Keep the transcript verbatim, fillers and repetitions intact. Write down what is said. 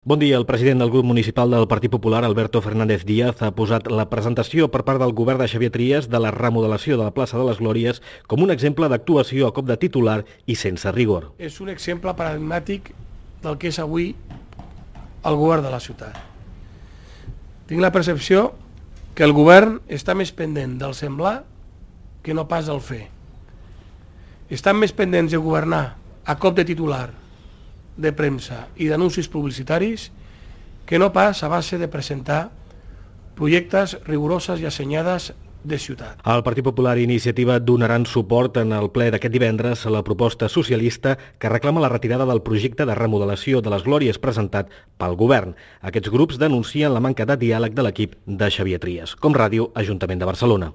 Bon dia. El president del grup municipal del Partit Popular, Alberto Fernández Díaz, ha posat la presentació per part del govern de Xavier Trias de la remodelació de la plaça de les Glòries com un exemple d'actuació a cop de titular i sense rigor. És un exemple paradigmàtic del que és avui el govern de la ciutat. Tinc la percepció que el govern està més pendent del semblar que no pas del fer. Estan més pendents de governar a cop de titular, de premsa i d'anuncis publicitaris que no pas a base de presentar projectes rigoroses i assenyades de ciutat. El Partit Popular i Iniciativa donaran suport en el ple d'aquest divendres a la proposta socialista que reclama la retirada del projecte de remodelació de les Glòries presentat pel govern. Aquests grups denuncien la manca de diàleg de l'equip de Xavier Trias. Com Ràdio, Ajuntament de Barcelona.